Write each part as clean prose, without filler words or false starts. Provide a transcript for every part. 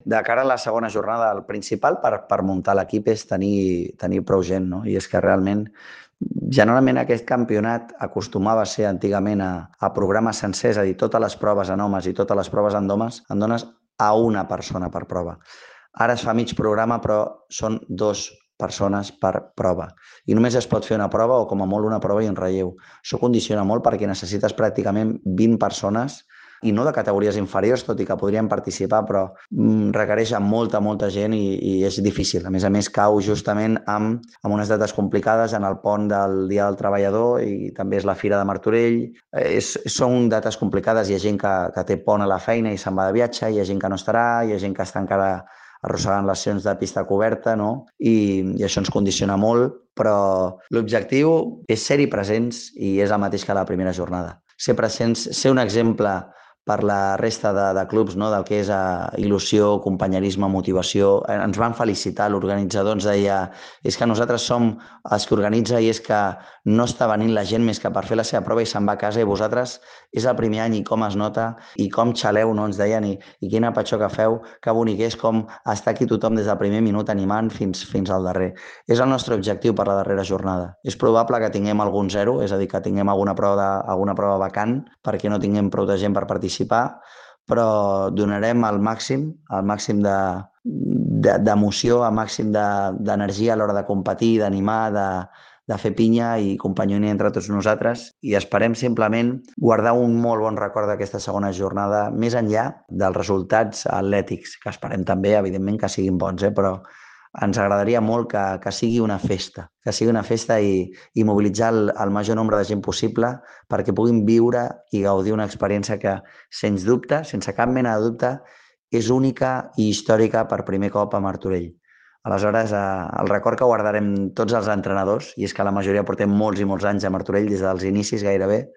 De cara a la segona jornada, el principal per muntar l'equip és tenir prou gent, no? I és que realment, generalment aquest campionat acostumava a ser antigament a programes sencers, és a dir, totes les proves en homes i totes les proves en dones a una persona per prova. Ara es fa mig programa, però són 2 persones per prova. I només es pot fer una prova o com a molt una prova i un relleu. Això condiciona molt perquè necessites pràcticament 20 persones i no de categories inferiors, tot i que podrien participar, però requereix molta gent i és difícil. A més, cau justament amb unes dates complicades en el pont del Dia del Treballador i també és la Fira de Martorell. Són dates complicades, hi ha gent que té pont a la feina i se'n va de viatge, hi ha gent que no estarà, hi ha gent que està encara arrossegant lesions de pista coberta, no? I això ens condiciona molt, però l'objectiu és ser-hi presents i és el mateix que la primera jornada. Ser presents, ser un exemple per la resta de clubs, no? Del que és il·lusió, companyerisme, motivació. Ens van felicitar, l'organitzador ens deia és que nosaltres som els que organitza i és que no està venint la gent més que per fer la seva prova i se'n va a casa i vosaltres és el primer any i com es nota i com xaleu, no? Ens deien, i quina patxó que feu, que bonic és com està aquí tothom des del primer minut animant fins al darrer. És el nostre objectiu per la darrera jornada. És probable que tinguem algun zero, és a dir, que tinguem alguna prova vacant perquè no tinguem prou de gent per participar, però donarem el màxim d'emoció, el màxim d'energia a l'hora de competir, d'animar, de fer pinya i companyonia entre tots nosaltres i esperem simplement guardar un molt bon record d'aquesta segona jornada més enllà dels resultats atlètics, que esperem també, evidentment, que siguin bons, però ens agradaria molt que sigui una festa i mobilitzar el major nombre de gent possible perquè puguin viure i gaudir una experiència que, sens dubte, sense cap mena de dubte, és única i històrica per primer cop a Martorell. Aleshores, el record que guardarem tots els entrenadors, i és que la majoria portem molts i molts anys a Martorell, des dels inicis gairebé,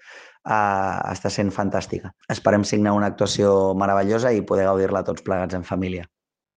està sent fantàstica. Esperem signar una actuació meravellosa i poder gaudir-la tots plegats en família.